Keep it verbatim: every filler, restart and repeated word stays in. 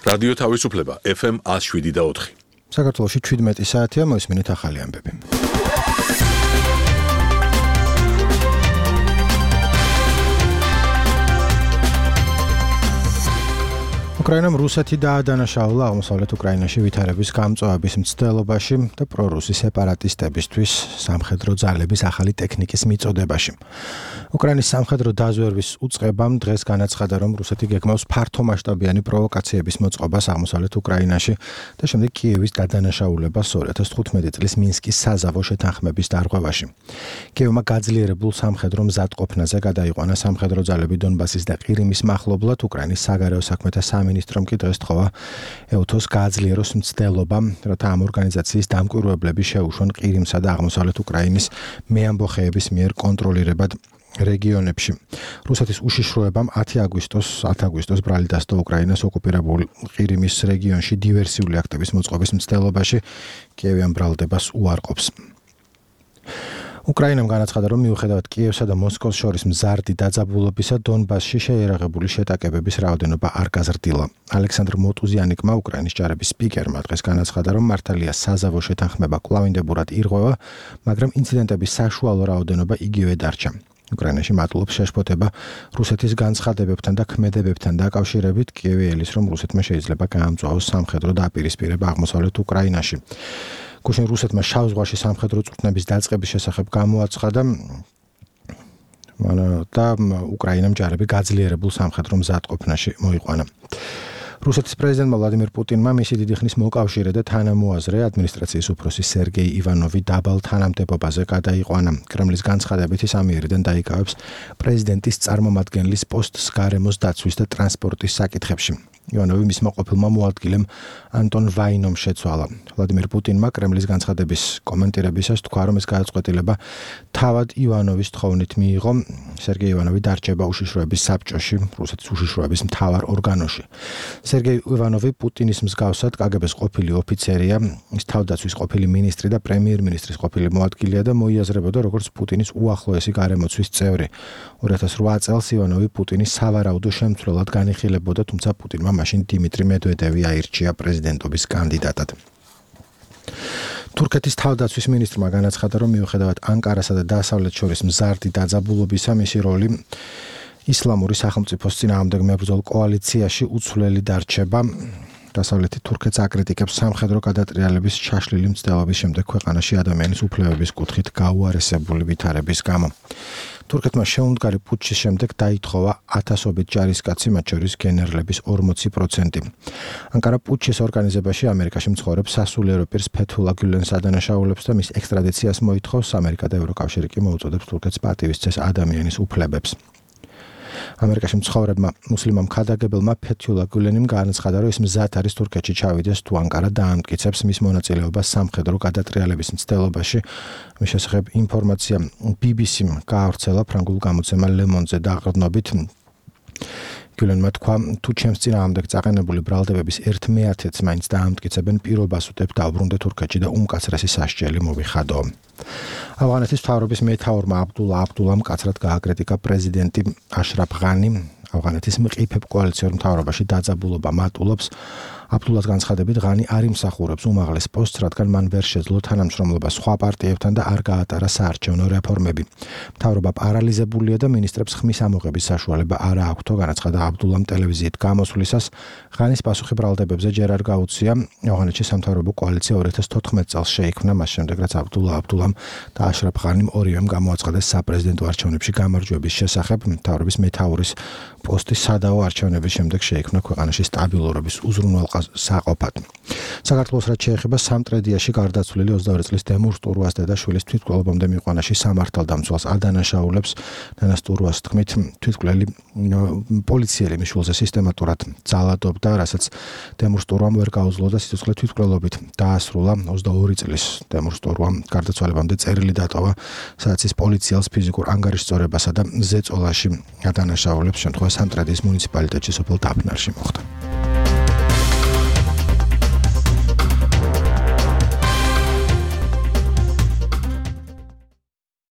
რადიო თავისუფლება ეფ ემ one oh seven და four. საქართველოში seventeen საათია, მოისმინეთ ახალი ამბები. უკრაინამ რუსეთი დაადანაშაულა აღმოსავლეთ უკრაინაში ვითარების გამწვავების მცდელობაში და პრორუსი სეპარატისტებისთვის სამხედრო ძალების ახალი ტექნიკის მიწოდებაში. უკრაინის სამხედრო დაზვერვის უწყებამ დღეს განაცხადა, რომ რუსეთი გეგმავს ფართომასშტაბიანი პროვოკაციების მოწყობას აღმოსავლეთ უკრაინაში და შემდეგ კიევის დადანაშაულებას two thousand fifteen წლის მინსკის საზავო შეთანხმების დარღვევაში. კიევმა გაძლიერებულ სამხედრო მზადყოფნაზე გადაიყვანა სამხედრო ძალები დონბასის და ყირიმის მახლობლად. უკრაინის საგარეო საქმეთა სამინისტრომ კი დღეს თქვა ევთოს გააძლიეროს მცდელობა, რათა ამ ორგანიზაციის დამკვირვებლები შეუშვან ყირიმსა და აღმოსავლეთ უკრაინის მეამბოხეების მიერ კონტროლირებად რეგიონებში. რუსეთის უშიშროებამ ten აგვისტოს ბრალი დასდო უკრაინას ოკუპირებულ ყირიმის რეგიონში დივერსიული აქტების მოწყობის მცდელობაში. კიევი ამ ბრალდებას უარყოფს. უკრაინამ განაცხადა, რომ მიუხედავად კიევსა და მოსკოვს შორის მზარდი დაძაბულობისა, დონბასში შეიარაღებული შეტაკებების რაოდენობა არ გაზრდილა. ალექსანდრ მოტუზიანიკმა, უკრაინის ჯარების სპიკერმა დღეს განაცხადა, რომ მართალია საზავო შეთანხმება კვლავინდებურად ირღვევა, მაგრამ ინციდენტების საშუალო რაოდენობა იგივე დარჩა. უკრაინაში მატულობს შეშფოთება რუსეთის განცხადებებთან და ქმედებებთან დაკავშირებით. კიევი ელის, რომ რუსეთმა შეიძლება გაამწვავოს სამხედრო დაპირისპირება აღმოსავლეთ უკრაინაში. გუშინ რუსეთმა შავ ზღვაში სამხედრო წვრთნების დაწყების შესახებ გამოაცხადა და უკრაინამ ჯარები გაძლიერებულ სამხედრო მზადყოფნაში მოიყვანა. რუსეთის პრეზიდენტმა ვლადიმირ პუტინმა მისი დიდი ხნის მოკავშირე და თანამოაზრე ადმინისტრაციის უფროსი სერგეი ივანოვი დაბალ თანამდებობაზე გადაიყვანა. კრემლის განცხადებით ის ამიერიდან დაიკავებს პრეზიდენტის წარმომადგენლის პოსტს გარემოს დაცვის და ტრანსპორტის საკითხებში. ივანოვი მისმა ყოფილმა მოადგილემ ანტონ ვაინომ შეცვალა. ვლადიმირ პუტინმა კრემლის განცხადების კომენტირებისას თქვა, რომ ეს გადაწყვეტილება თავად ივანოვის თხოვნით მიიღო. სერგეი ივანოვი დარჩება უშიშროების საბჭოში, რუსეთის უშიშროების მთავარ ორგანოში. სერგეი ივანოვი პუტინის მსგავსად კაგებეს ყოფილი ოფიცერია, ის თავდაცვის ყოფილი მინისტრი და პრემიერ-მინისტრის ყოფილი მოადგილეა და მოიაზრებოდა როგორც პუტინის უახლოესი გარემოცვის წევრი. two thousand eight წელს ივანოვი პუტინის სავარაუდო შემცვლელად განიხილებოდა, თუმცა პუტინმა მაშინ დიმიტრი მედვედევი აირჩია პრეზიდენტობის კანდიდატად. თურქეთის თავდაცვის მინისტრმა განაცხადა, რომ მიუხედავად ანკარასა და დასავლეთ შორის მზარდი დაძაბულობისა, მისი როლი ისლამური სახელმწიფოს წინააღმდეგ მებრძოლ კოალიციაში უცვლელი დარჩება. დასავლეთი თურქეთს აკრიტიკებს სამხედრო გადატრიალების შაშლილი მცდელობის შემდეგ ქვეყანაში ადამიანის უფლებების კუთხით გაუარესებული ვითარების გამო. თურქეთმა შეუმდგარი პუტჩის შემდეგ დაითხოვა ათასობით ჯარისკაცი, მათ შორის გენერლების forty percent. ანკარა პუტჩის ორგანიზებაში ამერიკაში მცხოვრებ სასულიერო პირს ფეთულა გულენს ადანაშაულებს და მის ექსტრადიციას მოითხოვს. ამერიკა და ევროკავშირი კი მოუწოდებს თურქეთს პატივისცეს ადამიანის უფლებებს. ამერიკაში მცხოვრებმა მუსლიმმა მხარდაგებელმა ფეთულა გულენიმ განაცხადა, რომ ის მზად არის თურქეთში ჩავიდეს თუ ანკარა დაამტკიცებს მის მონაწილეობას სამხედრო გადატრიალების მცდელობაში. მის შესახებ ინფორმაცია ბი ბი სიმ გაავრცელა ფრანგულ გამოცემა Le Monde-ზე დაყრდნობით. გულენმა თქვა, თუ ჩემს წინააღმდეგ წაყენებული ბრალდებების ერთ მეათედს მაინც დაამტკიცებენ, პირობას უდებ დავბრუნდე თურქეთში და უმკაცრესი სასჯელი მოვიხადო. ავღანეთის მთავრობის მეთაურმა აბდულა აბდულამ მკაცრად გააკრიტიკა პრეზიდენტი აშრაფ ღანი. ავღანეთის მყიფებ კოალიციურ მთავრობაში დაძაბულობა მატულობს. აბდულას განცხადებით, ღანი არ იმსახურებს უმაღლეს პოსტს, რადგან მან ვერ შეძლო თანამშრომლობა სხვა პარტიებთან და არ გაატარა საარჩევნო რეფორმები. მთავრობა პარალიზებულია და მინისტრებს ხმის ამოღების საშუალება არ აქვთ, განაცხადა აბდულამ ტელევიზიით გამოსვლისას. ღანის პასუხი ბრალდებებზე ჯერ არ გაუწია. ავღანეთში სამთავრობო კოალიცია two thousand fourteen წელს შეიქმნა, მას შემდეგ რაც აბდულა აბდულამ და აშრაფ ღანიმ ორივემ გამოაცხადეს საპრეზიდენტო არჩევნებში გამარჯვების შესახებ. მთავრობის მეთაურის პოსტი სადავო არჩევნების შემდეგ შეიქმნა ქვეყანაში სტაბილურობის უზრუნველსაყოფად. საქართველოს რაც შეეხება სამტრედიაში გარდაცვლილი ოცდაორი წლის დემურ სტურვას დედაშვილის თვითმკვლელობამდე მიყვანაში სამართალდამცველს ადანაშაულებს. ნანა სტურვას თქმით, თვითმკვლელი პოლიციელი მიშულზე სისტემატურად ძალადობდა, რასაც დემურ სტურვამ ვერ გაუძლო და სიცოცხლე თვითმკვლელობით დაასრულა. ოცდაორი წლის დემურ სტურვამ გარდაცვალებამდე წერილი დატოვა, სადაც ის პოლიციელს ფიზიკურ ანგარიშწორებასა და ზეწოლაში ადანაშაულებს, შემთხვევაში სამტრედის მუნიციპალიტეტში სოფელ დაფნარში მოხდა.